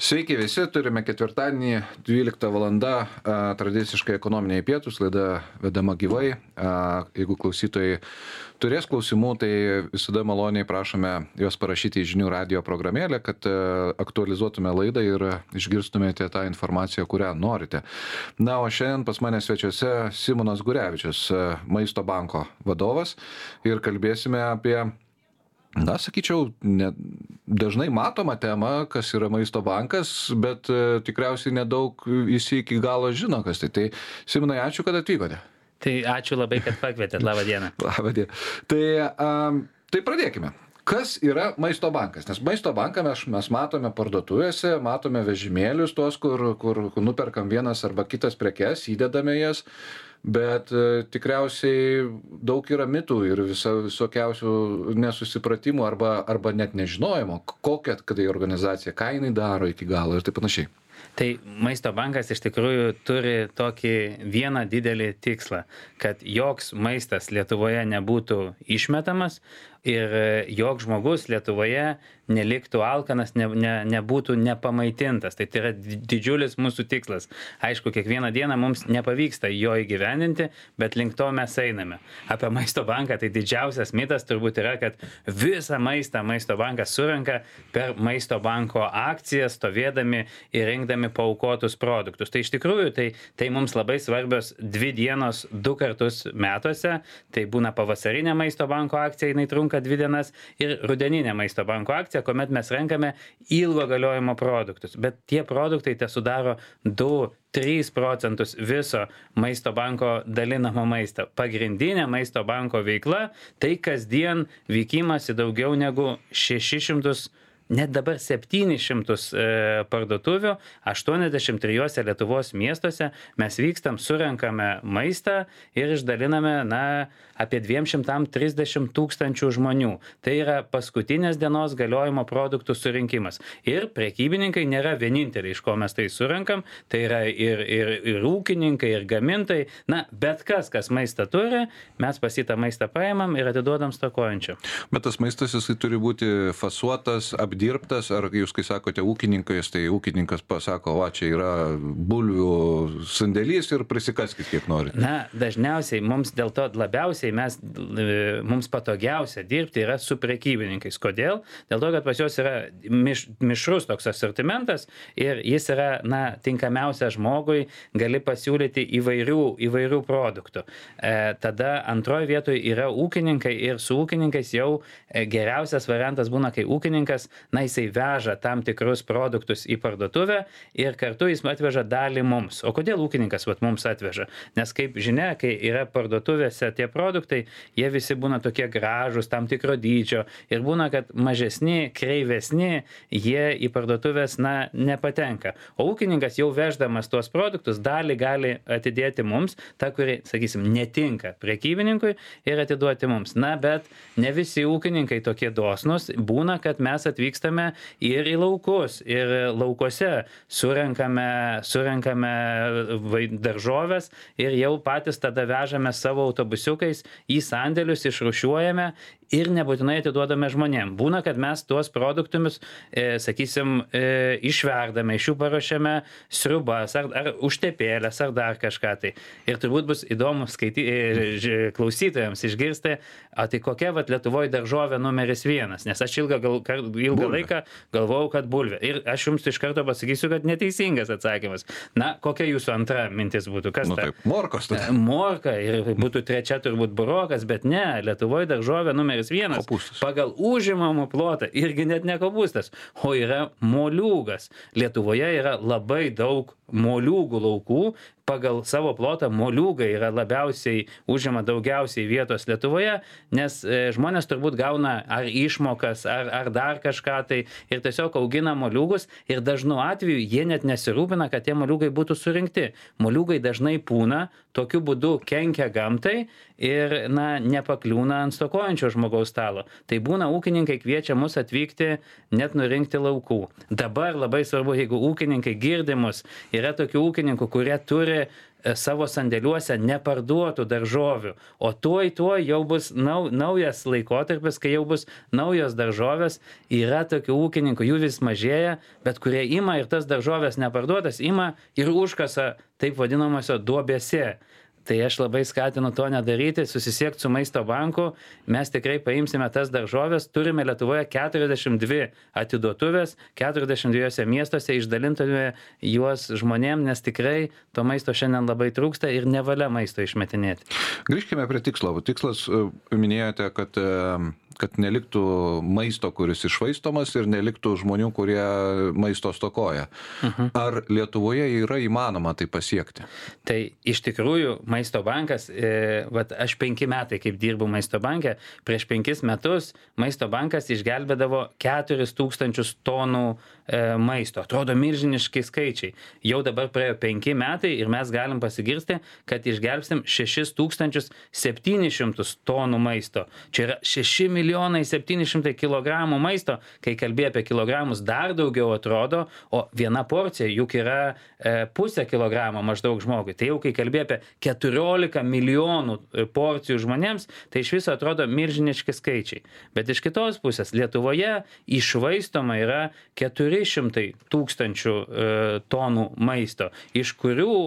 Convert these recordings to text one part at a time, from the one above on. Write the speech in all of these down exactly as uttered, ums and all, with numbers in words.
Sveiki visi, turime ketvirtadienį, dvylikta valanda, tradiciškai ekonominiai pietus, laida vedama gyvai. Jeigu klausytojai turės klausimų, tai visada maloniai prašome juos parašyti į žinių radio programėlę, kad aktualizuotume laidą ir išgirstumėte tą informaciją, kurią norite. Na, o šiandien pas mane svečiuose Simonas Gurevičius, Maisto banko vadovas, ir kalbėsime apie, na, sakyčiau, ne, dažnai matoma tema, kas yra Maisto bankas, bet e, tikriausiai nedaug visi iki galo žino, kas tai. Tai, Simonai, ačiū, kad atvykote. Tai ačiū labai, kad pakvietėt. Labą dieną. Labą dieną. Tai, um, tai pradėkime. Kas yra Maisto bankas? Nes Maisto banką mes, mes matome parduotuvėse, matome vežimėlius tuos, kur, kur nuperkam vienas arba kitas prekes, įdedame jas. Bet e, tikriausiai daug yra mitų ir visa, visokiausių nesusipratimų arba, arba net nežinojimo, kokia tai organizacija, ką jinai daro iki galo ir taip panašiai. Tai Maisto bankas iš tikrųjų turi tokį vieną didelį tikslą, kad joks maistas Lietuvoje nebūtų išmetamas ir joks žmogus Lietuvoje neliktų alkanas, ne, ne, nebūtų nepamaitintas. Tai tai yra didžiulis mūsų tikslas. Aišku, kiekvieną dieną mums nepavyksta jo įgyvendinti, bet link to mes einame. Apie Maisto banką tai didžiausias mitas turbūt yra, kad visą maistą Maisto bankas surenka per Maisto banko akcijas, stovėdami ir rinkdami paaukotus produktus. Tai iš tikrųjų tai, tai mums labai svarbios dvi dienos du kartus metuose. Tai būna pavasarinė Maisto banko akcija, jinai trunka dvi dienas, ir rudeninė Maisto banko akcija, kuomet mes renkame ilgo galiojimo produktus. Bet tie produktai te sudaro du trys procentus viso Maisto banko dalinamo maisto. Pagrindinė Maisto banko veikla tai kasdien vykimas į daugiau negu šešis šimtus, net dabar septynis šimtus e, parduotuvių, aštuoniasdešimt trijuose Lietuvos miestuose mes vykstam, surenkame maistą ir išdaliname, na, apie dviem šimtam trisdešimt tūkstančių žmonių. Tai yra paskutinės dienos galiojimo produktų surinkimas. Ir prekybininkai nėra vieninteliai, iš ko mes tai surenkam, tai yra ir, ir, ir ūkininkai, ir gamintojai. Na, bet kas, kas maistą turi, mes pasitą maistą paimam ir atiduodam stokojančių. Bet tas maistas, jisai turi būti fasuotas, apdirbtas, ar jūs, kai sakote ūkininkas, tai ūkininkas pasako, va, čia yra bulvių sandėlys ir prisikaskit kiek norite. Na, dažniausiai mums dėl to labiausiai mes, mums patogiausia dirbti yra su prekybininkais. Kodėl? Dėl to, kad pas juos yra miš, mišrus toks asortimentas ir jis yra, na, tinkamiausia žmogui, gali pasiūlyti įvairių, įvairių produktų. E, tada antroje vietoje yra ūkininkai ir su ūkininkais jau geriausias variantas būna, kai ūkininkas, na, jisai veža tam tikrus produktus į parduotuvę ir kartu jis atveža dalį mums. O kodėl ūkininkas vat, mums atveža? Nes kaip žinia, kai yra parduotuvėse tie produktai, jie visi būna tokie gražūs, tam tikro dydžio ir būna, kad mažesni, kreivesni, jie į parduotuvės, na, nepatenka. O ūkininkas jau veždamas tuos produktus dalį gali atidėti mums, tą, kuri, sakysim, netinka prekybininkui, ir atiduoti mums. Na, bet ne visi ūkininkai tokie dosnus. Būna, kad mes atvykstame ir į laukus, ir laukuose surenkame, surenkame daržoves ir jau patys tada vežame savo autobusiukais į sandėlius, išrūšiuojame ir nebūtinai atiduodame žmonėm. Būna, kad mes tuos produktus, e, sakysim, e, išverdame, iš jų paruošiame sriubas, ar, ar užtepėlės, ar dar kažką tai. Ir turbūt bus įdomu skaity, e, klausytojams išgirsti, o tai kokia vat Lietuvoje daržovė numeris vienas, nes aš ilgą, gal, ilgą laiką galvojau, kad bulvė. Ir aš jums iš karto pasakysiu, kad neteisingas atsakymas. Na, kokia jūsų antra mintis būtų? Kas nu, ta? Taip, morkos. Tai. Morka, ir būtų trečia turbūt burokas, bet ne, Lietuvoje daržovė numeris vienas. Kopūstas. Pagal užimamą plotą, irgi net ne kopūstas, o yra moliūgas. Lietuvoje yra labai daug moliūgų laukų. Pagal savo plotą moliūgai yra labiausiai, užima daugiausiai vietos Lietuvoje, nes e, žmonės turbūt gauna ar išmokas, ar, ar dar kažką tai ir tiesiog augina moliūgus ir dažnu atveju jie net nesirūpina, kad tie moliūgai būtų surinkti. Moliūgai dažnai pūna, tokiu būdu kenkia gamtai ir, na, nepakliūna ant stokojančio žmogaus stalo. Tai būna ūkininkai kviečia mus atvykti net nurinkti laukų. Dabar labai svarbu, jeigu ūkininkai girdimus, yra tokių ūkininkų, kurie turi turi savo sandėliuose neparduotų daržovių, o tuoj tuoj jau bus nau, naujas laikotarpis, kai jau bus naujos daržovės, yra tokių ūkininkų, jų vis mažėja, bet kurie ima ir tas daržovės neparduotas, ima ir užkasa taip vadinamose duobėse. Tai aš labai skatinu to nedaryti, susisiekti su Maisto banku, mes tikrai paimsime tas daržovės, turime Lietuvoje keturiasdešimt dvi atiduotuvės, keturiasdešimt dviejose miestuose, išdalintume juos žmonėm, nes tikrai to maisto šiandien labai trūksta ir nevalia maisto išmetinėti. Grįžkime prie tikslo. Tikslas, minėjote, kad kad neliktų maisto, kuris iššvaistomas ir neliktų žmonių, kurie maisto stokoja. Uh-huh. Ar Lietuvoje yra įmanoma tai pasiekti? Tai iš tikrųjų Maisto bankas, e, vat aš penki metai kaip dirbu Maisto banke, prieš penkis metus Maisto bankas išgelbėdavo keturis tūkstančius tonų e, maisto. Atrodo milžiniški skaičiai. Jau dabar praėjo penki metai ir mes galim pasigirsti, kad išgelbsim šešis tūkstančius septynis šimtus tonų maisto. Čia yra šeši milijonai septyni šimtai kilogramų maisto, kai kalbėjo apie kilogramus dar daugiau atrodo, o viena porcija juk yra e, pusę kilogramo maždaug žmogui. Tai jau kai kalbėjo apie keturiolika milijonų porcijų žmonėms, tai iš viso atrodo milžiniški skaičiai. Bet iš kitos pusės Lietuvoje iššvaistoma yra keturi šimtai tūkstančių e, tonų maisto, iš kurių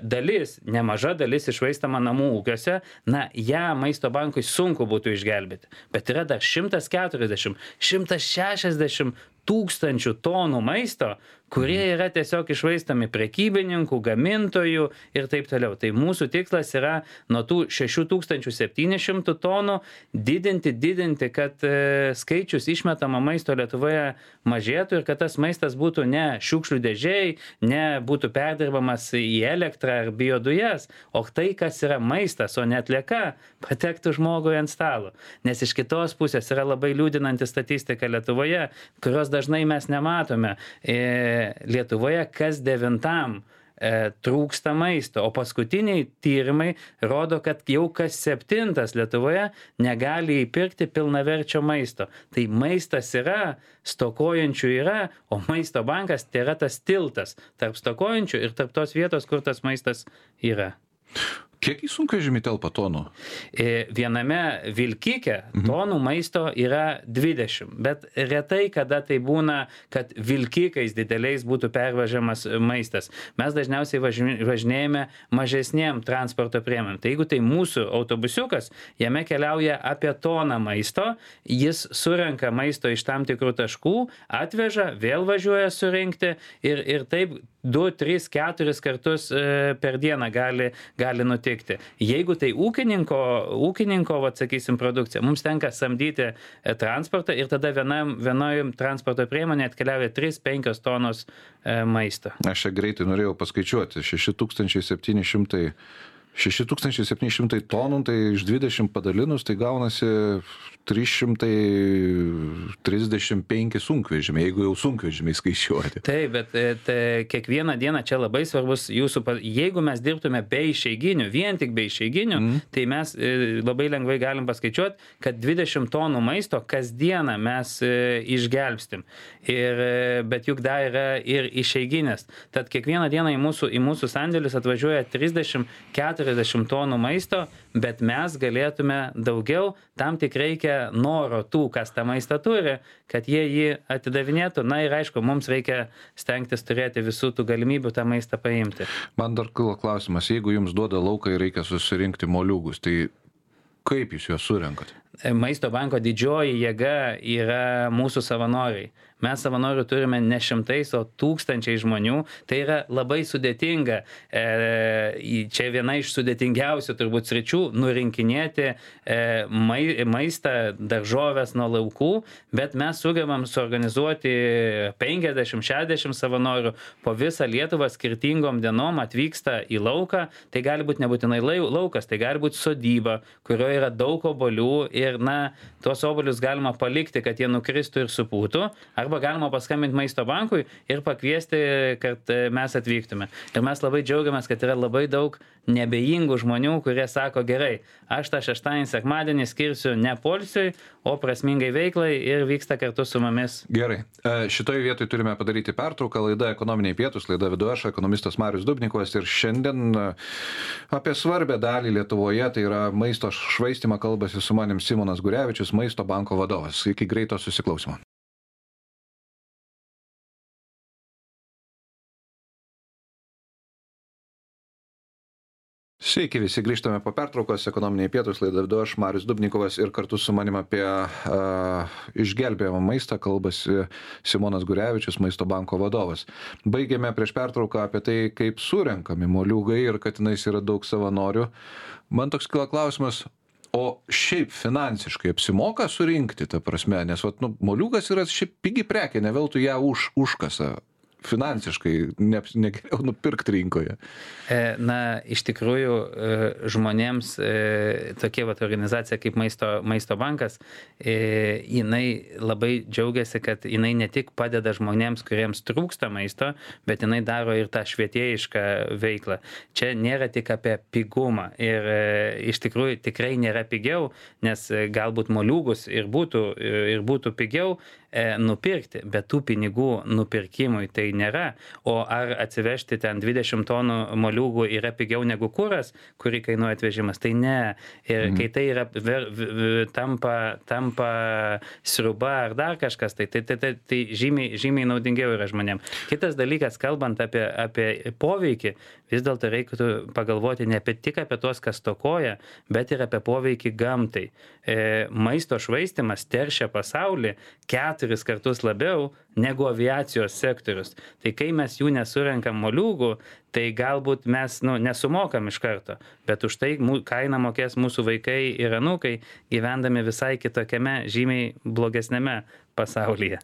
dalis, nemaža dalis iššvaistama namų ūkiuose, na, ją Maisto bankui sunku būtų išgelbėti. Bet yra dar šimtas keturiasdešimt, šimtas šešiasdešimt tūkstančių tonų maisto, kurie yra tiesiog iššvaistami prekybininkų, gamintojų ir taip toliau. Tai mūsų tikslas yra nuo tų šešių tūkstančių septynių šimtų tonų didinti, didinti, kad e, skaičius išmetama maisto Lietuvoje mažėtų ir kad tas maistas būtų ne šiukšlių dėžėjai, ne būtų perdirbamas į elektrą ar biodujas, o tai, kas yra maistas, o ne atlieka, patektų žmogui ant stalo. Nes iš kitos pusės yra labai liūdinanti statistika Lietuvoje, kurios dažnai mes nematome. E, Lietuvoje kas devintam e, trūksta maisto, o paskutiniai tyrimai rodo, kad jau kas septintas Lietuvoje negali įpirkti pilnaverčio maisto. Tai maistas yra, stokojančių yra, o Maisto bankas tai yra tas tiltas tarp stokojančių ir tarp tos vietos, kur tas maistas yra. Kiek į sunkvežimį telpa tonų? Viename vilkike tonų maisto yra dvidešimt, bet retai kada tai būna, kad vilkikais dideliais būtų pervežamas maistas. Mes dažniausiai važinėjame mažesniem transporto priemonėm. Tai jeigu tai mūsų autobusiukas, jame keliauja apie toną maisto, jis surenka maisto iš tam tikrų taškų, atveža, vėl važiuoja surinkti ir, ir taip du, tris, keturis kartus per dieną gali, gali nutikti. Jeigu tai ūkininko, ūkininko vat, sakysim, produkcija, mums tenka samdyti transportą ir tada vienam, vienojim transporto priemonė atkeliauja trys penkios tonos e, maisto. Aš čia greitai norėjau paskaičiuoti. šeši tūkstančiai septyni šimtai šeši tūkstančiai septyni šimtai tonų, tai iš dvidešimt padalinus, tai gaunasi trys šimtai trisdešimt penki sunkvežimiai, jeigu jau sunkvežimiai skaičiuoti. Taip, bet tai, kiekvieną dieną čia labai svarbus jūsų, jeigu mes dirbtume be išeiginių, vien tik be išeiginių, mm. tai mes labai lengvai galim paskaičiuoti, kad dvidešimt tonų maisto kasdieną mes išgelbstim. Ir, bet juk dar yra ir išeiginės. Tad kiekvieną dieną į mūsų, į mūsų sandėlius atvažiuoja trisdešimt keturiasdešimt tonų maisto, bet mes galėtume daugiau, tam tik reikia noro tų, kas tą maistą turi, kad jie jį atidavinėtų. Na ir aišku, mums reikia stengtis turėti visų tų galimybių tą maistą paimti. Man dar kilo klausimas, jeigu jums duoda lauką ir reikia susirinkti moliūgus, tai kaip jūs juos surenkat? Maisto banko didžioji jėga yra mūsų savanoriai. Mes savanorių turime ne šimtais, o tūkstančiai žmonių. Tai yra labai sudėtinga. E, čia viena iš sudėtingiausių turbūt sričių - nurinkinėti e, mai, maistą, daržovės nuo laukų, bet mes sugebam suorganizuoti penkiasdešimt šešiasdešimt savanorių po visą Lietuvą skirtingom dienom atvyksta į lauką. Tai gali būti nebūtinai laukas, tai gali būti sodyba, kurioje yra daug obuolių ir ir, na, tuos obuolius galima palikti, kad jie nukristų ir supūtų, arba galima paskambinti Maisto bankui ir pakviesti, kad mes atvyktume. Ir mes labai džiaugiamės, kad yra labai daug nebejingų žmonių, kurie sako, gerai, aš tą šeštadienį, sekmadienį skirsiu ne poilsiui, o prasmingai veiklai ir vyksta kartu su mumis. Gerai. Šitoje vietoje turime padaryti pertrauką. Laida Ekonominiai pietūs, laida vedu aš, ekonomistas Marius Dubnikovas, ir šiandien apie svarbę dalį Lietuvoje, tai yra maisto švaistimą, kalbasi su manim Simonas Gurevičius, Maisto banko vadovas. Iki greito susiklausimo. Sveiki, visi grįžtame po pertraukos, Ekonominiai pietūs, laidą vedu aš, Marius Dubnikovas, ir kartu su manim apie uh, išgelbėjimą maistą kalbasi Simonas Gurevičius, Maisto banko vadovas. Baigėme prieš pertrauką apie tai, kaip surenkami moliūgai ir kad tenais yra daug savanorių. Man toks kila klausimas, o šiaip finansiškai apsimoka surinkti, ta prasme, nes vat, nu, moliūgas yra šiaip pigi prekė, ne veltui ją už, užkasa. Finansiškai ne, ne geriau nupirkti rinkoje. Na, iš tikrųjų, žmonėms tokia vat organizacija kaip Maisto, Maisto bankas, jinai labai džiaugiasi, kad jinai ne tik padeda žmonėms, kuriems trūksta maisto, bet jinai daro ir tą švietėjišką veiklą. Čia nėra tik apie pigumą ir iš tikrųjų tikrai nėra pigiau, nes galbūt moliūgus ir būtų, ir būtų pigiau nupirkti, bet tų pinigų nupirkimui tai nėra. O ar atsivežti ten dvidešimt tonų moliūgų yra pigiau negu kuras, kurį kainuoja atvežimas? Tai ne. Ir mhm. kai tai yra ver, ver, tampa, tampa sriuba ar dar kažkas, tai, tai, tai, tai, tai žymiai, žymiai naudingiau yra žmonėms. Kitas dalykas, kalbant apie, apie poveikį, vis dėlto reikėtų pagalvoti ne apie, tik apie tuos, kas stokoja, bet ir apie poveikį gamtai. E, maisto švaistimas teršia pasaulį keturis kartus labiau negu aviacijos sektorius. Tai kai mes jų nesurenkam moliūgų, tai galbūt mes nu, nesumokam iš karto, bet už tai kainą mokės mūsų vaikai ir anūkai, gyvendami visai kitokiame, žymiai blogesnėme pasaulyje.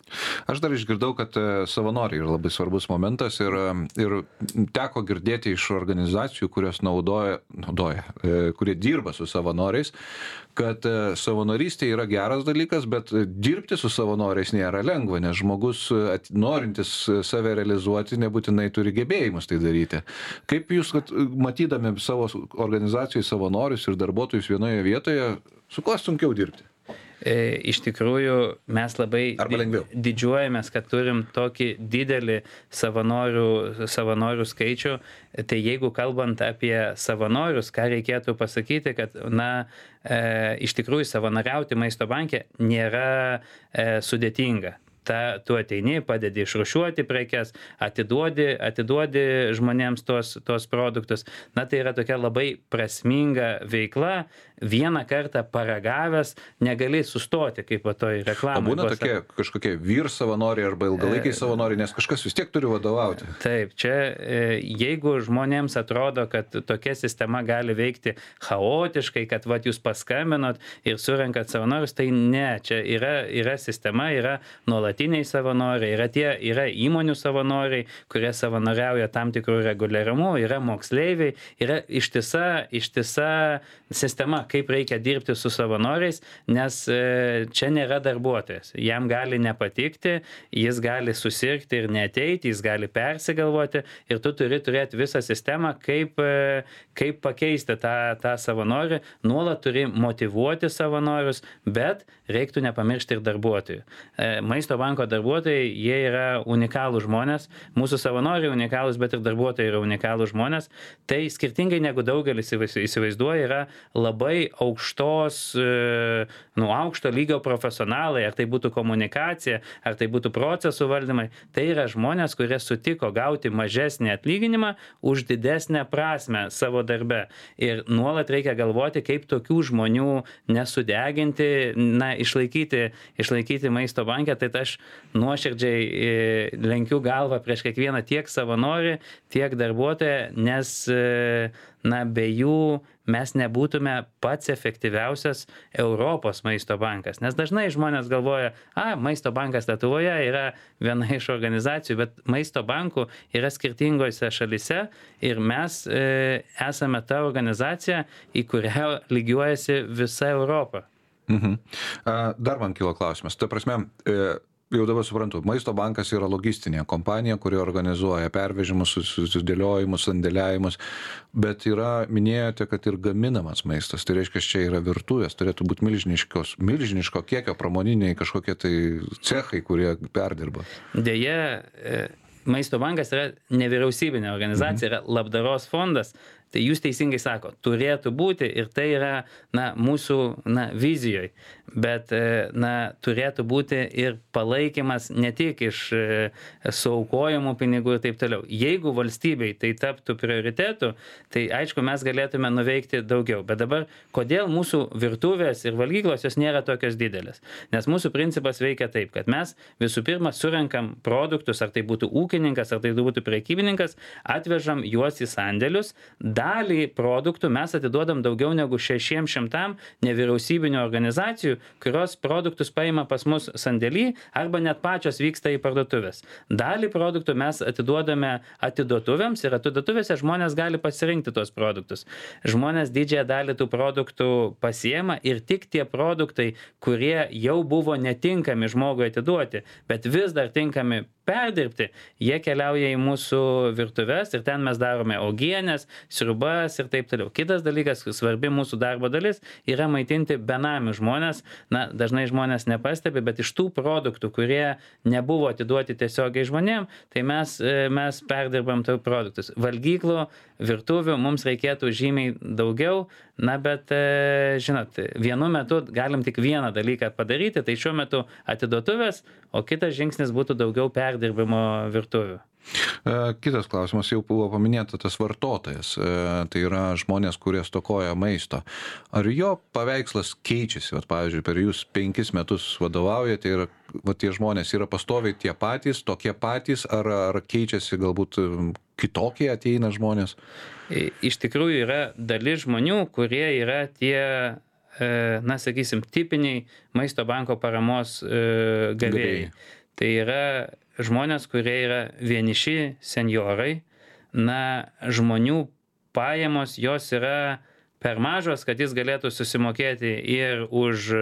Aš dar išgirdau, kad savanoriai yra labai svarbus momentas ir, ir teko girdėti iš organizacijų, kurios naudoja, naudoja, kurie dirba su savanoriais, kad savanorystė yra geras dalykas, bet dirbti su savanoriais nėra lengva, nes žmogus norintis save realizuoti nebūtinai turi gebėjimus tai daryti. Kaip jūs, kad matydami savo organizacijai savanorius ir darbuotojus vienoje vietoje, su kuo sunkiau dirbti? Iš tikrųjų, mes labai didžiuojamės, kad turim tokį didelį savanorių, savanorių skaičių. Tai jeigu kalbant apie savanorius, ką reikėtų pasakyti, kad, na, e, iš tikrųjų savanoriauti Maisto banke nėra e, sudėtinga. Ta, tu ateini, padedi išrūšiuoti prekes, atiduodi, atiduodi žmonėms tos, tos produktus. Na, tai yra tokia labai prasminga veikla. Vieną kartą paragavęs negali sustoti, kaip va toj reklamai. O būna tokie kažkokie vyr savanoriai arba ilgalaikiai savanoriai, nes kažkas vis tiek turi vadovauti. Taip, čia jeigu žmonėms atrodo, kad tokia sistema gali veikti chaotiškai, kad va jūs paskambinot ir surenkat savanorius, tai ne, čia yra, yra sistema, yra nuolatiniai savanoriai, yra, tie, yra įmonių savanoriai, kurie savanoriauja tam tikrų reguliarumu, yra moksleiviai, yra ištisa, ištisa sistema, kaip reikia dirbti su savanoriais, nes čia nėra darbuotojas. Jam gali nepatikti, jis gali susirgti ir neateiti, jis gali persigalvoti ir tu turi turėti visą sistemą, kaip, kaip pakeisti tą, tą savanorį. Nuolat turi motyvuoti savanorius, bet reiktų nepamiršti ir darbuotojų. Maisto banko darbuotojai, jie yra unikalūs žmonės, mūsų savanoriai unikalūs, bet ir darbuotojai yra unikalūs žmonės. Tai skirtingai negu daugelis įsivaizduoja, yra labai aukštos, nu, aukšto lygio profesionalai, ar tai būtų komunikacija, ar tai būtų procesų valdymai. Tai yra žmonės, kurie sutiko gauti mažesnį atlyginimą už didesnę prasmę savo darbe. Ir nuolat reikia galvoti, kaip tokių žmonių nesudeginti, na, išlaikyti, išlaikyti Maisto banke. Tai aš nuoširdžiai lenkiu galvą prieš kiekvieną tiek savanorį, tiek darbuotoją, nes, na, be jų mes nebūtume pats efektyviausias Europos Maisto bankas. Nes dažnai žmonės galvoja, a, Maisto bankas Lietuvoje yra viena iš organizacijų, bet Maisto bankų yra skirtingose šalise ir mes e, esame ta organizacija, į kurią lygiuojasi visa Europa. Mhm. Dar man kilo klausimas. Ta prasme, jau dabar suprantu, Maisto bankas yra logistinė kompanija, kuri organizuoja pervežimus, susidėliojimus, sandėliavimus, bet yra, minėjote, kad ir gaminamas maistas. Tai reiškia, čia yra virtuvės, turėtų būti milžiniškos, milžiniško kiekio pramoniniai kažkokie tai cechai, kurie perdirba. Deja, Maisto bankas yra nevyriausybinė organizacija, yra labdaros fondas. Tai jūs teisingai sako, turėtų būti ir tai yra na, mūsų na, vizijoje, bet na, turėtų būti ir palaikymas ne tik iš suaukojamų pinigų ir taip toliau. Jeigu valstybei tai taptų prioritetu, tai aišku, mes galėtume nuveikti daugiau. Bet dabar, kodėl mūsų virtuvės ir valgyklos jos nėra tokios didelės? Nes mūsų principas veikia taip, kad mes visų pirma surenkam produktus, ar tai būtų ūkininkas, ar tai būtų prekybininkas, atvežam juos į sandėlius. Dalį produktų mes atiduodam daugiau negu šešiems šimtam nevyriausybinių organizacijų, kurios produktus paima pas mus sandėlį arba net pačios vyksta į parduotuvės. Dalį produktų mes atiduodame atiduotuvėms ir atiduotuvėse žmonės gali pasirinkti tos produktus. Žmonės didžiąją dalį tų produktų pasiema ir tik tie produktai, kurie jau buvo netinkami žmogui atiduoti, bet vis dar tinkami perdirbti, jie keliauja į mūsų virtuves ir ten mes darome uogienės, sriubas ir taip toliau. Kitas dalykas, svarbi mūsų darbo dalis, yra maitinti benamių žmonės. Na, dažnai žmonės nepastebi, bet iš tų produktų, kurie nebuvo atiduoti tiesiogiai žmonėm, tai mes, mes perdirbam tų produktus. Valgyklų, virtuvių mums reikėtų žymiai daugiau, na, bet, žinot, vienu metu galim tik vieną dalyką padaryti, tai šiuo metu atiduotuvės, o kitas žingsnis būtų daugiau perdirbimo virtuvių. Kitas klausimas, jau buvo paminėta tas vartotojas, tai yra žmonės, kurie stokoja maisto. Ar jo paveikslas keičiasi? Vat, pavyzdžiui, per jūs penkis metus vadovaujate ir vat, tie žmonės yra pastoviai tie patys, tokie patys, ar, ar keičiasi galbūt kitokie ateina žmonės? Iš tikrųjų yra dalis žmonių, kurie yra tie, na, sakysim, tipiniai Maisto banko paramos gavėjai. Tai yra žmonės, kurie yra vieniši senjorai, na, žmonių pajamos jos yra per mažos, kad jis galėtų susimokėti ir už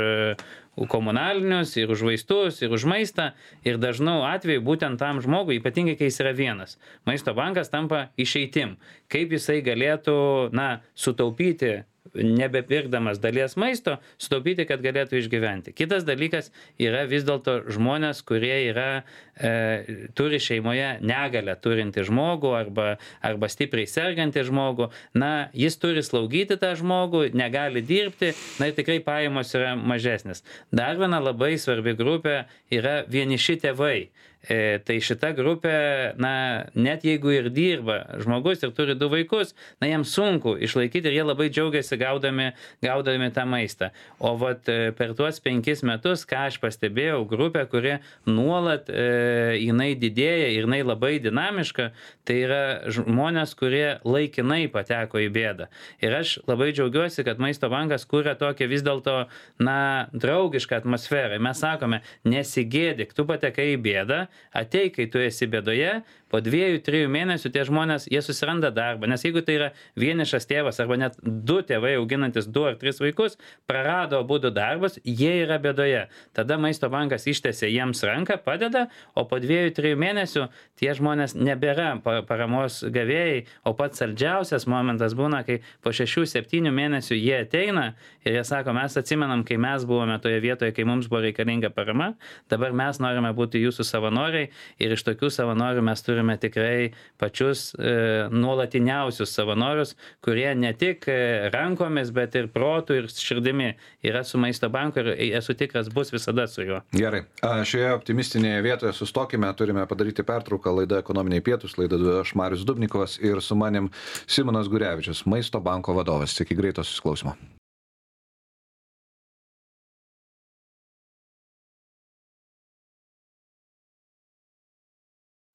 komunalinius, ir už vaistus, ir už maistą. Ir dažnau atveju būtent tam žmogui, ypatingai kai jis yra vienas, Maisto bankas tampa išeitim. Kaip jisai galėtų, na, sutaupyti, nebepirkdamas dalies maisto, sutaupyti, kad galėtų išgyventi. Kitas dalykas yra vis dėlto žmonės, kurie yra, e, turi šeimoje negalę turinti žmogų arba, arba stipriai sergantį žmogų. Na, jis turi slaugyti tą žmogų, negali dirbti, na ir tikrai pajamos yra mažesnės. Dar viena labai svarbi grupė yra vieniši tėvai. E, tai šita grupė, na, net jeigu ir dirba žmogus ir turi du vaikus, na, jiems sunku išlaikyti ir jie labai džiaugiasi gaudami, gaudami tą maistą. O vat per tuos penkis metus, ką aš pastebėjau, grupė, kuri nuolat e, jinai didėja ir jinai labai dinamiška, tai yra žmonės, kurie laikinai pateko į bėdą. Ir aš labai džiaugiuosi, kad Maisto bankas kuria tokią vis dėlto, na, draugišką atmosferą. Mes sakome, nesigėdik, tu patekai į bėdą, ateik, kai tu esi bėdoje, po dviejų, trijų mėnesių tie žmonės, jie susiranda darbą, nes jeigu tai yra vienišas tėvas arba net du tėvai auginantis du ar tris vaikus, prarado abudu darbus, jie yra bėdoje. Tada Maisto bankas ištiesia jiems ranką, padeda, o po dviejų, trijų mėnesių tie žmonės nebėra paramos gavėjai, o pats saldžiausias momentas būna, kai po šešių, septynių mėnesių jie ateina ir jie sako, mes atsimenam, kai mes buvome toje vietoje, kai mums buvo reikalinga parama, dabar mes norime būti jūsų savanoriai ir iš tokių savanorių mes turime tikrai pačius e, nuolatiniausius savanorius, kurie ne tik rankomis, bet ir protų ir širdimi yra su Maisto banku ir esu tikras bus visada su juo. Gerai. Šioje optimistinėje vietoje sustokime, turime padaryti pertrauką. Laida Ekonominiai pietūs, laida aš Marius Dubnikovas ir su manim Simonas Gurevičius, Maisto banko vadovas. Iki greito susiklausimo.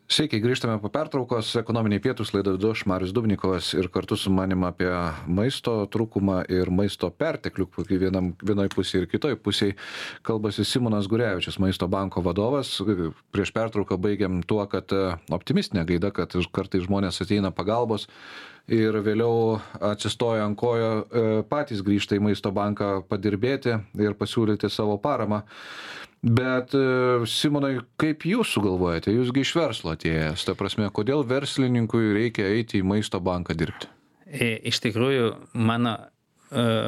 Sveiki, grįžtame po pertraukos. Ekonominiai pietūs, laida vedu aš, Marius Dubnikovas, ir kartu su manim apie maisto trūkumą ir maisto perteklių, vienam, vienoj pusėje ir kitoj pusėje kalbasi Simonas Gurevičius, Maisto banko vadovas. Prieš pertrauką baigiam tuo, kad optimistinė gaida, kad kartais žmonės ateina pagalbos ir vėliau atsistoja ant kojo, patys grįžta į Maisto banką padirbėti ir pasiūlyti savo paramą. Bet, Simonai, kaip jūs sugalvojate? Jūsgi iš verslo atėjęs. Ta prasme, kodėl verslininkui reikia eiti į Maisto banką dirbti? Iš tikrųjų, mano uh,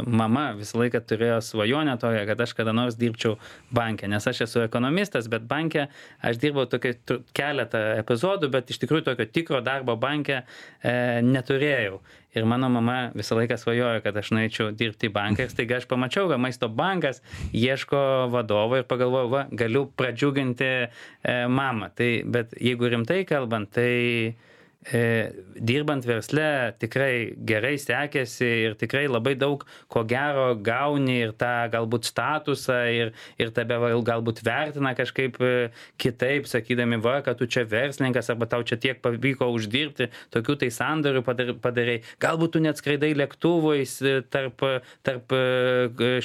mama visą laiką turėjo svajonę tokią, kad aš kada nors dirbčiau banke, nes aš esu ekonomistas, bet banke aš dirbau tokį keletą epizodų, bet iš tikrųjų tokio tikro darbo banke e, neturėjau. Ir mano mama visą laiką svajojo, kad aš nueičiau dirbti į banką ir staiga aš pamačiau, kad Maisto bankas ieško vadovo ir pagalvojau, va, galiu pradžiuginti e, mamą. Tai, bet jeigu rimtai kalbant, tai e, dirbant versle tikrai gerai sekėsi ir tikrai labai daug ko gero gauni ir tą galbūt statusą ir, ir tebe galbūt vertina kažkaip kitaip, sakydami, va, kad tu čia verslininkas arba tau čia tiek pavyko uždirbti, tokių tai sandorių padarai. Galbūt tu net skraidai lėktuvais tarp, tarp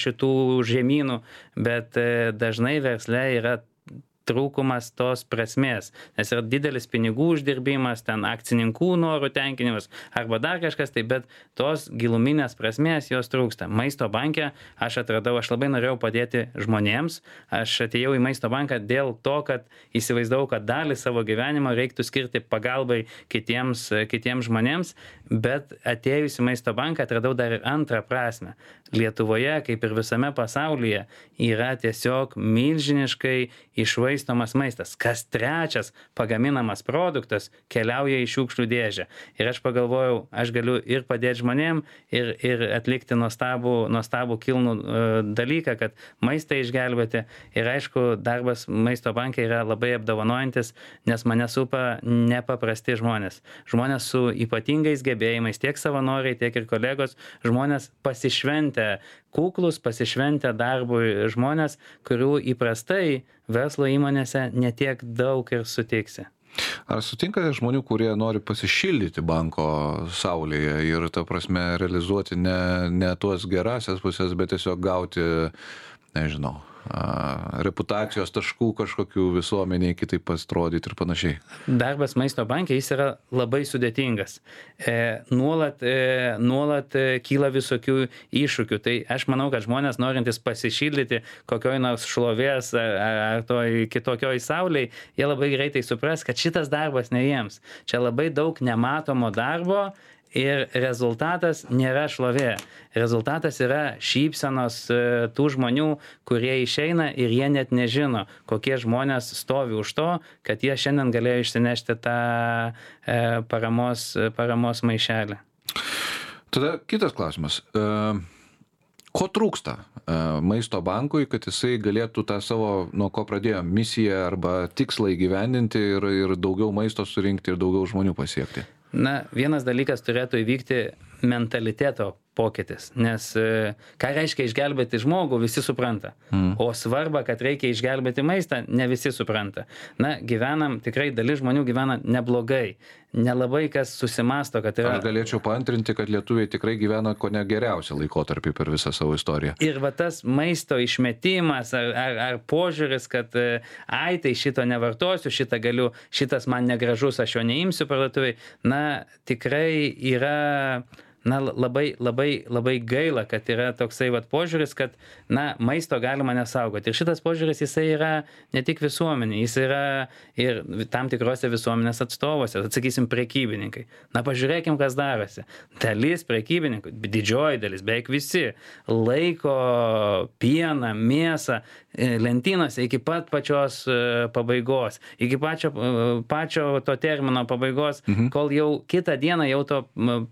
šitų žemynų, bet dažnai versle yra trūkumas tos prasmės, nes yra didelis pinigų uždirbimas, ten akcininkų norų tenkinimas arba dar kažkas, tai bet tos giluminės prasmės jos trūksta. Maisto banke aš atradau, aš labai norėjau padėti žmonėms, aš atėjau į Maisto banką dėl to, kad įsivaizdavau, kad dalį savo gyvenimo reiktų skirti pagalbai kitiems, kitiems žmonėms, bet atėjus į Maisto banką atradau dar ir antrą prasmę. Lietuvoje, kaip ir visame pasaulyje, yra tiesiog milžiniškai išvaistomas maistas. Kas trečias pagaminamas produktas keliauja į šiukšlių dėžę. Ir aš pagalvojau, aš galiu ir padėti žmonėm, ir, ir atlikti nuostabų, nuostabų kilnų uh, dalyką, kad maistą išgelbėti. Ir aišku, darbas Maisto banke yra labai apdovanojantis, nes mane supa nepaprasti žmonės. Žmonės su ypatingais gebėjimais, tiek savanoriai, tiek ir kolegos, žmonės pasišventę kuklus, pasišventę darbui žmonės, kurių įprastai verslo įmonėse netiek daug ir sutiksi. Ar sutinkate žmonių, kurie nori pasišildyti banko saulėje ir, ta prasme, realizuoti ne, ne tuos gerasias pusės, bet tiesiog gauti, nežinau, reputacijos taškų kažkokių visuomeniai kitaip pasirodyti ir panašiai? Darbas Maisto banke, jis yra labai sudėtingas. E, nuolat, e, nuolat kyla visokių iššūkių. Tai aš manau, kad žmonės norintys pasišildyti kokioj nors šlovės ar, ar toj kitokioj sauliai, jie labai greitai supras, kad šitas darbas ne jiems. Čia labai daug nematomo darbo, ir rezultatas nėra šlovė. Rezultatas yra šypsenos tų žmonių, kurie išeina ir jie net nežino, kokie žmonės stovi už to, kad jie šiandien galėjo išsinešti tą paramos, paramos maišelį. Tada kitas klausimas. Ko trūksta Maisto bankui, kad jisai galėtų tą savo, nuo ko pradėjo, misiją arba tikslą įgyvendinti ir, ir daugiau maisto surinkti ir daugiau žmonių pasiekti? Na, vienas dalykas turėtų įvykti mentaliteto pokytis, nes ką reiškia išgelbėti žmogų, visi supranta. Mm. O svarba, kad reikia išgelbėti maistą, ne visi supranta. Na, gyvenam, tikrai dalis žmonių gyvena neblogai. Nelabai kas susimasto, kad yra... Aš galėčiau paantrinti, kad lietuviai tikrai gyvena ko ne geriausią laikotarpį per visą savo istoriją. Ir va tas maisto išmetimas ar, ar, ar požiūris, kad ai, tai šito nevartosiu, šitą galiu, šitas man negražus, aš jo neimsiu parduotuviai, na, tikrai yra... Na, labai, labai, labai gaila, kad yra toksai vat požiūris, kad, na, maisto galima nesaugoti. Ir šitas požiūris, jisai yra ne tik visuomenė, jis yra ir tam tikrose visuomenės atstovose, atsakysim, prekybininkai. Na, pažiūrėkim, kas darosi. Dalis prekybininkų, didžioji dalis, beveik visi, laiko pieną, mėsą lentynose iki pat pačios pabaigos, iki pačio, pačio to termino pabaigos, mhm. kol jau kitą dieną jau to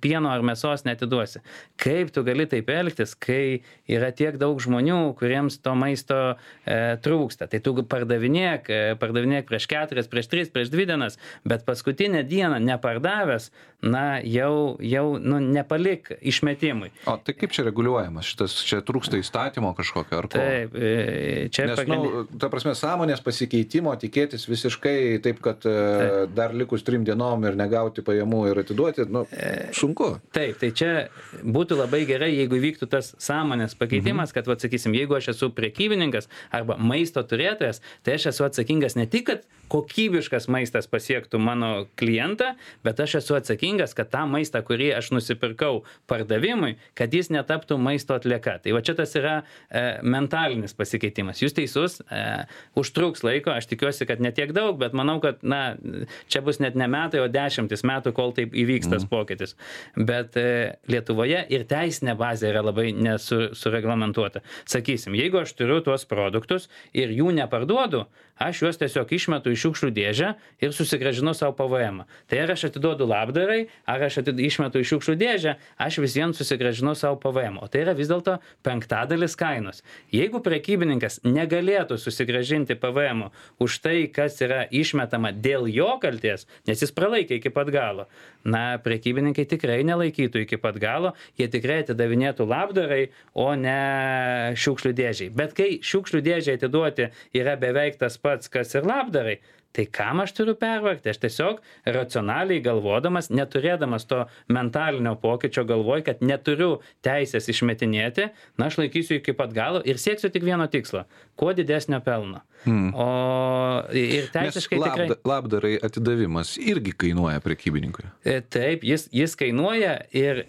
pieno ar mėsos jos neatiduosi. Kaip tu gali taip elgtis, kai yra tiek daug žmonių, kuriems to maisto e, trūksta. Tai tu pardavinėk, e, pardavinėk prieš keturias, prieš tris, prieš dvi dienas, bet paskutinę dieną nepardavęs, na, jau, jau nu, nepalik išmetimui. O tai kaip čia reguliuojamas? Šitas, čia trūksta įstatymo kažkokio ar ko? Taip, e, čia Nes, pagrindin... nu, ta prasme, sąmonės pasikeitimo tikėtis visiškai taip, kad taip. Dar likus trim dienom ir negauti pajamų ir atiduoti, nu, sunku. Taip, tai čia būtų labai gerai, jeigu vyktų tas sąmonės pakeitimas, mhm. kad, atsakysim, jeigu aš esu prekybininkas arba maisto turėtojas, tai aš esu atsakingas ne tik, kad kokybiškas maistas pasiektų mano klientą, bet aš esu atsakingas, kad tą maistą, kurį aš nusipirkau pardavimui, kad jis netaptų maisto atlieka. Tai va čia tas yra e, mentalinis pasikeitimas. Jūs teisus, e, užtruks laiko, aš tikiuosi, kad ne tiek daug, bet manau, kad na, čia bus net ne metai, o dešimtis metų, kol taip įvyks tas pokytis. Bet e, Lietuvoje ir teisinė bazė yra labai nesureglamentuota. Sakysim, jeigu aš turiu tuos produktus ir jų neparduodu, aš juos tiesiog išmetu į šiukšlių dėžę ir susigrąžinu savo P V M. Tai ar aš atiduodu labdarai, ar aš atid... išmetu į šiukšlių dėžę, aš vis vien susigrąžinu savo P V M. O tai yra vis dėlto penktadalis kainos. Jeigu prekybininkas negalėtų susigrąžinti P V M už tai, kas yra išmetama dėl jo kalties, nes jis pralaikė iki pat galo, na, prekybininkai tikrai nelaikytų iki pat galo, jie tikrai atidavinėtų labdarai, o ne šiukšlių dėžiai. Bet kai šiukšlių dėžiai atiduoti yra beveik tas pats, kas ir labdarai, tai kam aš turiu pervargti? Aš tiesiog racionaliai galvodamas, neturėdamas to mentalinio pokyčio galvoj, kad neturiu teisės išmetinėti, na, aš laikysiu iki pat galo ir sieksiu tik vieno tikslo – kuo didesnio pelno. Hmm. O ir teisiškai Nes labda, tikrai... labdarai atidavimas irgi kainuoja prekybininkui. Taip, jis, jis kainuoja ir,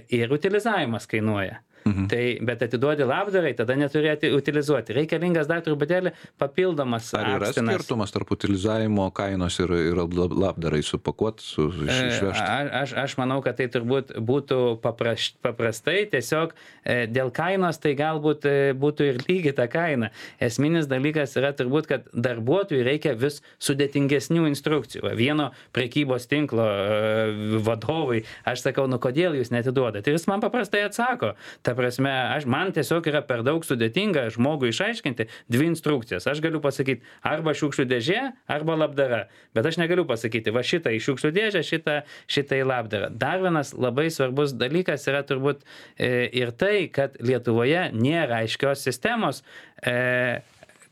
ir utilizavimas kainuoja. Mhm. Tai, bet atiduodi labdarai, tada neturėti utilizuoti. Reikalingas dar truputėlį papildomas akstinas. Ar yra akstinas. skirtumas tarp utilizavimo kainos ir, ir labdarai supakuoti, su, iš, išvežti? A, aš, aš manau, kad tai turbūt būtų papraš, paprastai, tiesiog e, dėl kainos tai galbūt e, būtų ir lygiai ta kaina. Esminis dalykas yra turbūt, kad darbuotojui reikia vis sudėtingesnių instrukcijų. Vieno prekybos tinklo e, vadovui aš sakau, nu kodėl jūs neatiduodate? Ir jis man paprastai atsako. Ta prasme, aš, man tiesiog yra per daug sudėtinga žmogui išaiškinti dvi instrukcijas. Aš galiu pasakyti arba šiukšlių dėžė, arba labdara. Bet aš negaliu pasakyti, va šitą į šiukšlių dėžę, šitą, šitą į labdarą. Dar vienas labai svarbus dalykas yra turbūt e, ir tai, kad Lietuvoje nėra aiškios sistemos, e,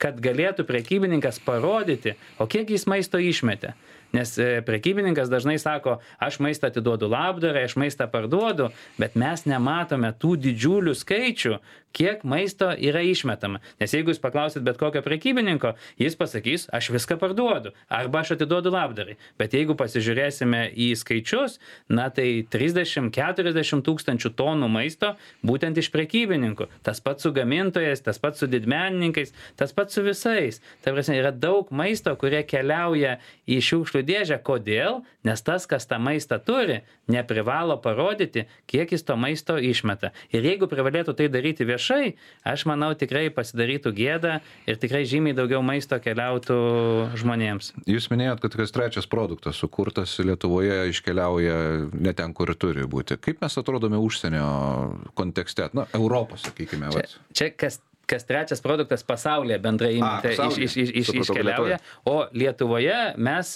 kad galėtų prekybininkas parodyti, o kiek jis maisto išmetė. Nes prekybininkas dažnai sako, aš maistą atiduodu labdarai, aš maistą parduodu, bet mes nematome tų didžiulių skaičių, kiek maisto yra išmetama. Nes jeigu jūs paklausit bet kokio prekybininko, jis pasakys, aš viską parduodu, arba aš atiduodu labdarai. Bet jeigu pasižiūrėsime į skaičius, na tai trisdešimt keturiasdešimt tūkstančių tonų maisto būtent iš prekybininkų. Tas pats su gamintojais, tas pats su didmenininkais, tas pats su visais. Tai prasme, yra daug maisto, kurie keliauja į šiukšlių dėžę. Kodėl? Nes tas, kas tą maistą turi, neprivalo parodyti, kiek jis to maisto išmeta. Ir jeigu privalėtų tai daryti viešai, aš manau tikrai pasidarytų gėda ir tikrai žymiai daugiau maisto keliautų žmonėms. Jūs minėjot, kad kas trečias produktas sukurtas Lietuvoje iškeliauja ne ten, kur turi būti. Kaip mes atrodome užsienio kontekste? Na, Europos, sakykime. Čia, čia kas kas trečias produktas pasaulyje bendrai imti iš, iš, iš, iš, iškeliauja, o Lietuvoje mes,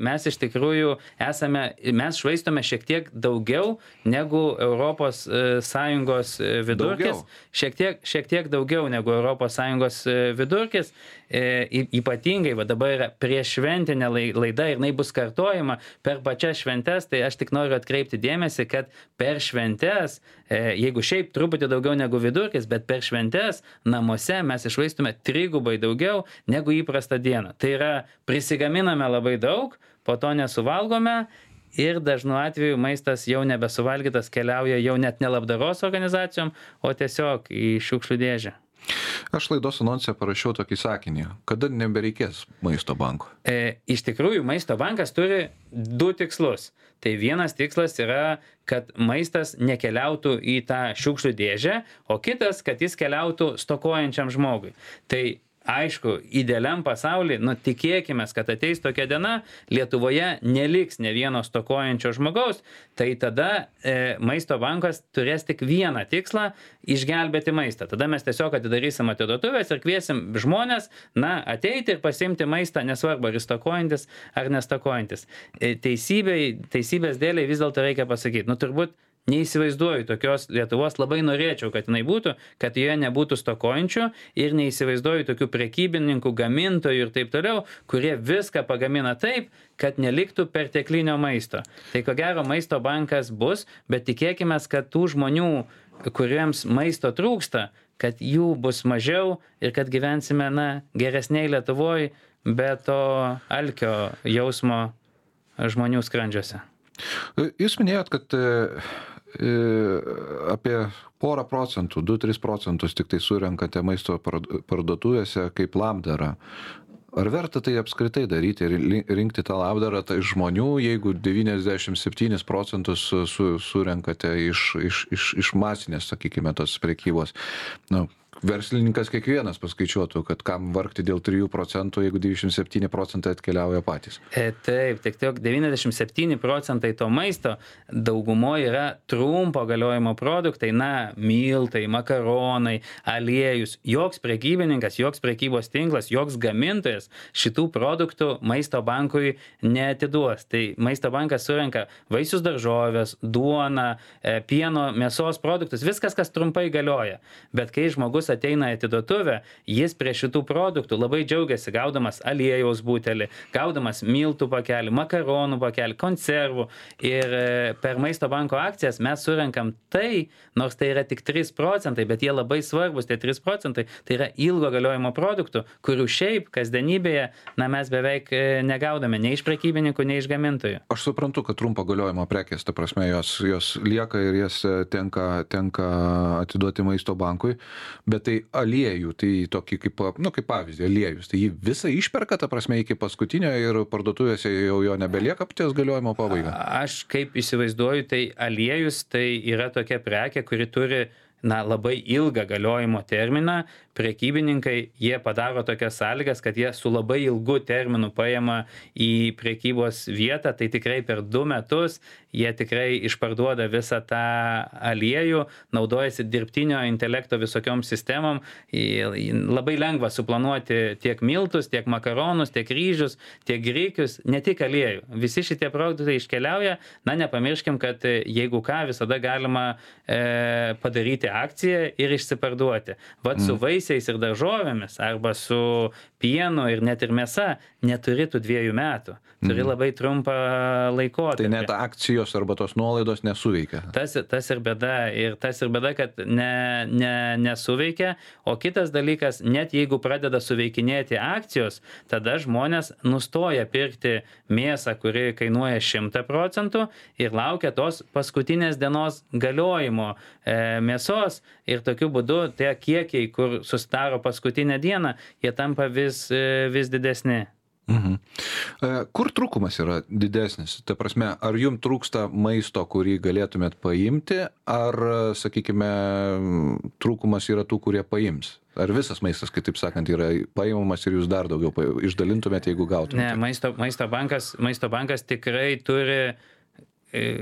mes iš tikrųjų esame, mes švaistome šiek tiek daugiau negu Europos Sąjungos vidurkis, šiek tiek, šiek tiek daugiau negu Europos Sąjungos vidurkis, e, ypatingai, va dabar yra prieššventinė laida ir jinai bus kartojama per pačias šventes, tai aš tik noriu atkreipti dėmesį, kad per šventes, e, jeigu šiaip truputį daugiau negu vidurkis, bet per šventes namuose mes išvaistume trigubai daugiau negu įprastą dieną. Tai yra, prisigaminame labai daug, po to nesuvalgome ir dažnu atveju maistas jau nebesuvalgytas keliauja jau net ne labdaros organizacijom, o tiesiog į šiukšlių dėžę. Aš laidos anonse parašiau tokį sakinį, kada nebereikės maisto banko. E, iš tikrųjų, maisto bankas turi du tikslus. Tai vienas tikslas yra, kad maistas nekeliautų į tą šiukšlių dėžę, o kitas, kad jis keliautų stokojančiam žmogui. Tai aišku, idealiam pasauly, nu, tikėkime, kad ateis tokia diena, Lietuvoje neliks ne vieno stokojančio žmogaus, tai tada e, maisto bankas turės tik vieną tikslą - išgelbėti maistą. Tada mes tiesiog atidarysim atiduotuvės ir kviesim žmonės, na, ateiti ir pasimti maistą, nesvarbu, ar jis stokojantis, ar nestokojantis. E, teisybei, teisybės dėliai vis dėlto reikia pasakyti, nu, turbūt neįsivaizduoju tokios Lietuvos, labai norėčiau, kad jinai būtų, kad joje nebūtų stokojančių ir neįsivaizduoju tokių prekybininkų, gamintojų ir taip toliau, kurie viską pagamina taip, kad neliktų perteklinio maisto. Tai ko gero maisto bankas bus, bet tikėkime, kad tų žmonių, kuriems maisto trūksta, kad jų bus mažiau ir kad gyvensime, na, geresniai Lietuvoje, be to alkio jausmo žmonių skrandžiuose. Jūs minėjot, kad apie porą procentų, du tris procentus tik tai surenkate maisto parduotuvėse kaip labdarą. Ar verta tai apskritai daryti ir rinkti tą labdarą tai žmonių, jeigu devyniasdešimt septynis procentus su, surenkate iš, iš, iš, iš masinės, sakykime, tos prekybos? Nu, verslininkas kiekvienas paskaičiuotų, kad kam vargti dėl trijų procentų, jeigu devyniasdešimt septyni procentai atkeliauja patys. E, taip, tik tiek devyniasdešimt septyni procentai to maisto daugumoje yra trumpo galiojimo produktai, na, miltai, makaronai, aliejus. Joks prekybininkas, joks prekybos tinklas, joks gamintojas šitų produktų maisto bankui neatiduos. Tai maisto bankas surenka vaisius, daržovės, duoną, pieno, mėsos produktus, viskas, kas trumpai galioja. Bet kai žmogus ateina į atiduotuvę, jis prie šitų produktų labai džiaugiasi gaudamas aliejaus butelį, gaudamas miltų pakelį, makaronų pakelį, konservų. Ir per maisto banko akcijas mes surenkam tai, nors tai yra tik trys procentai, bet jie labai svarbus, tie trys procentai, tai yra ilgo galiojimo produktų, kurių šiaip kasdienybėje, na, mes beveik negaudame nei iš prekybininkų, nei iš gamintojų. Aš suprantu, kad trumpo galiojimo prekės, ta prasme, jos, jos lieka ir jas tenka, tenka atiduoti maisto bankui, bet tai aliejų, tai tokį kaip, nu, kaip pavyzdį, aliejus, tai jį visą išperka, ta prasme, iki paskutinio ir parduotuvėse jau jo nebelieka ties galiojimo pabaiga. Aš kaip įsivaizduoju, tai aliejus tai yra tokia prekė, kuri turi, na, labai ilgą galiojimo terminą. Prekybininkai, jie padaro tokias sąlygas, kad jie su labai ilgu terminu paima į prekybos vietą, tai tikrai per du metus jie tikrai išparduoda visą tą aliejų, naudojasi dirbtinio intelekto visokiom sistemom. Labai lengva suplanuoti tiek miltus, tiek makaronus, tiek ryžius, tiek grikius, ne tik aliejų. Visi šitie produktai iškeliauja, na, nepamirškim, kad jeigu ką, visada galima e, padaryti akciją ir išsiparduoti. Vat su vaisiais ir daržovėmis arba su pienu ir net ir mėsa neturi tų dviejų metų. Turi labai trumpą laikotarpį. Tai net akcijos arba tos nuolaidos nesuveikia. Tas, tas ir bėda. Ir tas ir bėda, kad ne, ne, nesuveikia. O kitas dalykas, net jeigu pradeda suveikinėti akcijos, tada žmonės nustoja pirkti mėsą, kuri kainuoja šimtą procentų ir laukia tos paskutinės dienos galiojimo e, mėsos. Ir tokiu būdu tie kiekiai, kur susidaro paskutinę dieną, jie tampa vis, e, vis didesni. Mhm. Kur trūkumas yra didesnis? Ta prasme, ar jums trūksta maisto, kurį galėtumėt paimti, ar, sakykime, trūkumas yra tų, kurie paims? Ar visas maistas, kaip taip sakant, yra paimamas ir jūs dar daugiau išdalintumėte, jeigu gautumėte? Ne, maisto, maisto, bankas, maisto bankas tikrai turi,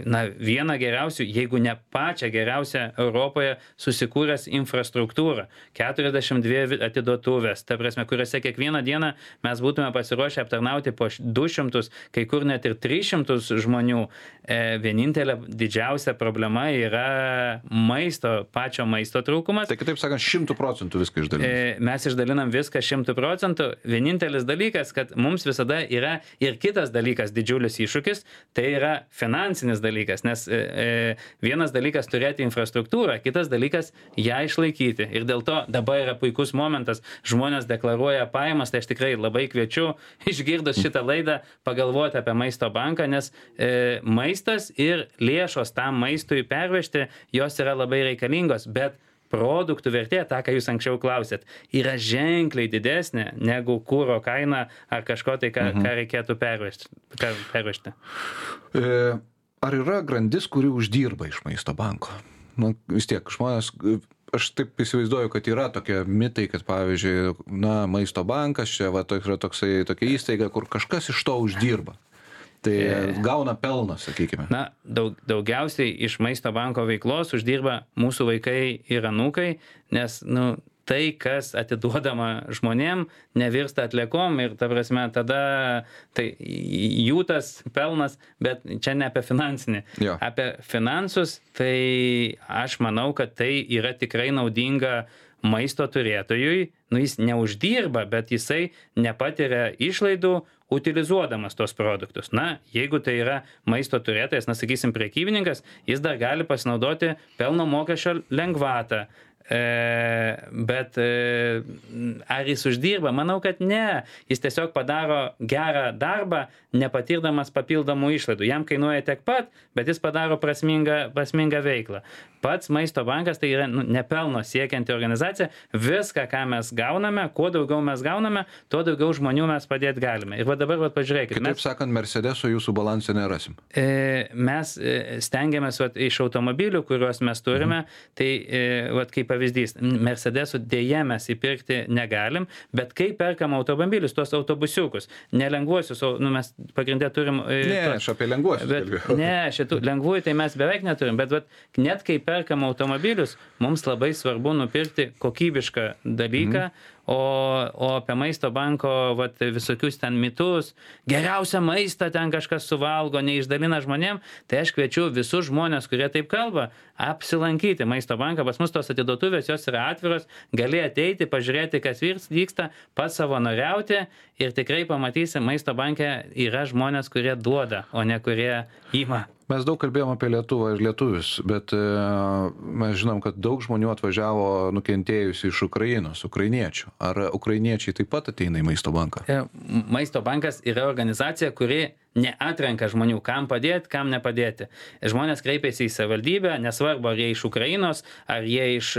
na, vieną geriausių, jeigu ne pačią geriausią Europoje susikūręs infrastruktūrą. keturiasdešimt dvi atiduotuvės, ta prasme, kuriuose kiekvieną dieną mes būtume pasiruošę aptarnauti po du šimtus, kai kur net ir tris šimtus žmonių. E, vienintelė didžiausia problema yra maisto, pačio maisto trūkumas. Tai kitaip sakant, šimtų procentų viską išdalinam. E, mes išdalinam viską šimtų procentų. Vienintelis dalykas, kad mums visada yra ir kitas dalykas, didžiulis iššūkis, tai yra finansinis dalykas, nes e, vienas dalykas turėti infrastruktūrą, kitas dalykas ją išlaikyti. Ir dėl to dabar yra puikus momentas, žmonės deklaruoja pajamas, tai aš tikrai labai kviečiu, išgirdus šitą laidą, pagalvoti apie maisto banką, nes e, maistas ir lėšos tam maistui pervežti, jos yra labai reikalingos, bet produktų vertė, tą, ką jūs anksčiau klausėt, yra ženkliai didesnė negu kuro kaina ar kažko tai, ką, mhm. ką reikėtų pervežti. pervežti. E... Ar yra grandis, kuri uždirba iš maisto banko? Nu, vis tiek, žmonės, aš taip įsivaizduoju, kad yra tokie mitai, kad pavyzdžiui, na, Maisto bankas čia va, yra toksai, tokia įstaiga, kur kažkas iš to uždirba. Tai gauna pelną, sakykime. Na, daug, daugiausiai iš Maisto banko veiklos uždirba mūsų vaikai ir anūkai, nes, nu, tai, kas atiduodama žmonėm, nevirsta atliekom ir, ta prasme, tada tai jų tas pelnas, bet čia ne apie finansinį. Jo. Apie finansus, tai aš manau, kad tai yra tikrai naudinga maisto turėtojui. Nu, jis neuždirba, bet jisai nepatiria išlaidų utilizuodamas tos produktus. Na, jeigu tai yra maisto turėtojas, na, sakysim, prekybininkas, jis dar gali pasinaudoti pelno mokesčio lengvatą. E, bet e, ar jis uždirba? Manau, kad ne. Jis tiesiog padaro gerą darbą, nepatirdamas papildomų išlaidų. Jam kainuoja tiek pat, bet jis padaro prasmingą, prasmingą veiklą. Pats Maisto bankas tai yra, nu, nepelno siekianti organizacija. Viską, ką mes gauname, kuo daugiau mes gauname, tuo daugiau žmonių mes padėti galime. Ir va dabar, va, pažiūrėkite. Kitaip mes, sakant, Mercedeso jūsų balansą nerasim. E, mes e, stengiamės va, iš automobilių, kuriuos mes turime, mhm. tai e, va, kaip pavyzdys, Mercedesų dėje mes įpirkti negalim, bet kai perkam automobilius, tuos autobusiukus, nelengvuosius, nu, mes pagrindę turim... E, ne, tos, aš apie lengvuosius. Bet, ne, šitų lengvųjų tai mes beveik neturim, bet, bet net kai perkam automobilius, mums labai svarbu nupirkti kokybišką dalyką, mhm. o, o apie Maisto banko vat, visokius ten mitus, geriausią maistą ten kažkas suvalgo, neišdalina žmonėm, tai aš kviečiu visus žmonės, kurie taip kalba, apsilankyti Maisto banką. Pas mus tos atiduotuvės, jos yra atviros, gali ateiti, pažiūrėti, kas vyksta, pasavanoriauti ir tikrai pamatysi, Maisto banke yra žmonės, kurie duoda, o ne kurie ima. Mes daug kalbėjom apie Lietuvą ir lietuvius, bet e, mes žinom, kad daug žmonių atvažiavo nukentėjusi iš Ukrainos, ukrainiečių. Ar ukrainiečiai taip pat ateina į Maisto banką? Maisto bankas yra organizacija, kuri neatrenka žmonių, kam padėti, kam nepadėti. Žmonės kreipiasi į savivaldybę, nesvarbu, ar jie iš Ukrainos, ar jie iš,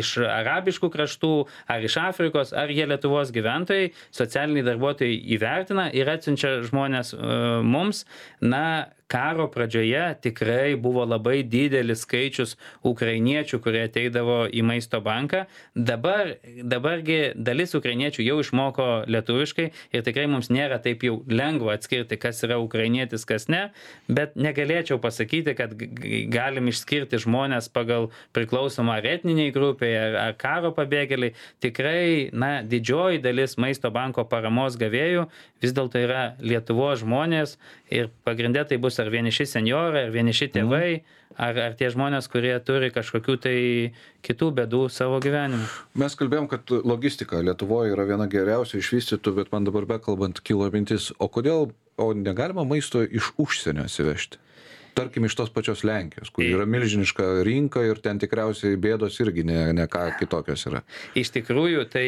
iš arabiškų kraštų, ar iš Afrikos, ar jie Lietuvos gyventojai, socialiniai darbuotojai įvertina ir atsiunčia žmonės uh, mums. Na, karo pradžioje tikrai buvo labai didelis skaičius ukrainiečių, kurie ateidavo į Maisto banką. Dabar, dabargi dalis ukrainiečių jau išmoko lietuviškai ir tikrai mums nėra taip jau lengva atskirti, kas yra ukrainietis, kas ne, bet negalėčiau pasakyti, kad galim išskirti žmonės pagal priklausomą ar etniniai grupiai, ar, ar karo pabėgėliai. Tikrai, na, didžioji dalis Maisto banko paramos gavėjų vis dėlto yra Lietuvos žmonės ir pagrindė tai bus ar vieniši senjorai, ar vieniši tėvai, ar, ar tie žmonės, kurie turi kažkokių tai kitų bėdų savo gyvenime. Mes kalbėjom, kad logistika Lietuvoje yra viena geriausių išvystytų, bet man dabar bekalbant kilo mintis, o kodėl, o negalima maisto iš užsienio atsivežti? Tarkim, iš tos pačios Lenkijos, kur yra milžiniška rinka ir ten tikriausiai bėdos irgi ne, ne ką kitokios yra. Iš tikrųjų, tai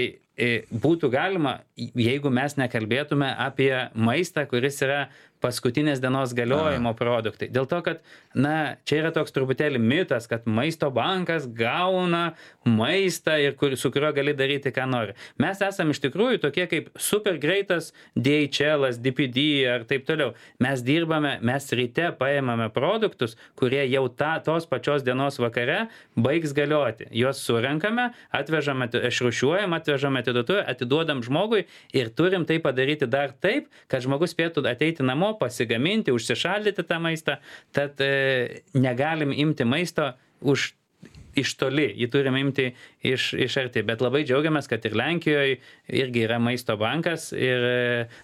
būtų galima, jeigu mes nekalbėtume apie maistą, kuris yra paskutinės dienos galiojimo produktai. Dėl to, kad, na, čia yra toks truputėlį mitas, kad Maisto bankas gauna maistą ir kur, su kuriuo gali daryti, ką nori. Mes esame iš tikrųjų tokie kaip super greitas D H L, D P D ar taip toliau. Mes dirbame, mes ryte paėmame produktus, kurie jau ta, tos pačios dienos vakare baigs galioti. Juos surenkame, atvežame, išrūšiuojam, atvežame atiduotuvę, atiduodam žmogui ir turim tai padaryti dar taip, kad žmogus spėtų ateiti namo, pasigaminti, užsišaldyti tą maistą, tad e, negalim imti maisto už iš toli, jį turim imti iš, iš arti, bet labai džiaugiamės, kad ir Lenkijoje irgi yra Maisto bankas ir e,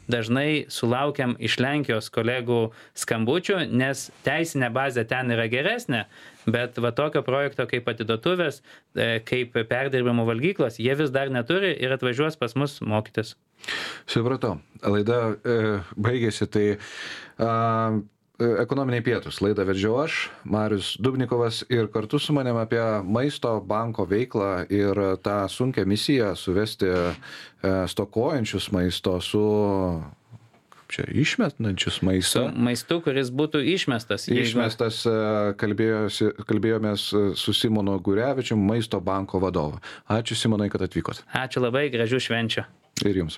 dažnai sulaukiam iš Lenkijos kolegų skambučių, nes teisinė bazė ten yra geresnė, bet va tokio projekto kaip atiduotuvės, e, kaip perdirbimo valgyklos, jie vis dar neturi ir atvažiuos pas mus mokytis. Supratau. Laida e, baigėsi, tai a, ekonominiai pietūs. Laidą vedžiau aš, Marius Dubnikovas, ir kartu su manim apie Maisto banko veiklą ir tą sunkią misiją suvesti e, stokojančius maisto su čia išmetančius maisto. Su maistu, kuris būtų išmestas. Išmestas, kalbėjosi, kalbėjomės su Simonu Gurevičium, Maisto banko vadovu. Ačiū, Simonai, kad atvykot. Ačiū labai, gražių švenčių. Ir jums.